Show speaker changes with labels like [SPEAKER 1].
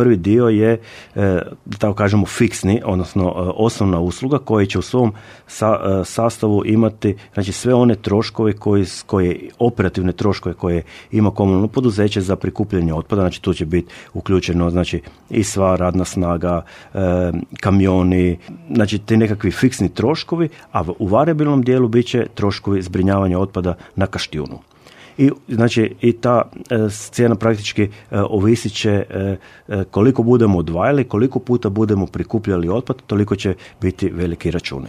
[SPEAKER 1] prvi dio je, da tako kažemo, fiksni, odnosno osnovna usluga koja će u svom sastavu imati, znači, sve one troškove koje operativne troškove koje ima komunalno poduzeće za prikupljanje otpada, znači tu će biti uključeno, znači, i sva radna snaga, kamioni, znači ti nekakvi fiksni troškovi, a u variabilnom dijelu bit će troškovi zbrinjavanja otpada na Kaštijunu. I znači i ta cijena praktički ovisit će koliko budemo odvajali, koliko puta budemo prikupljali otpad, toliko će biti veliki računi.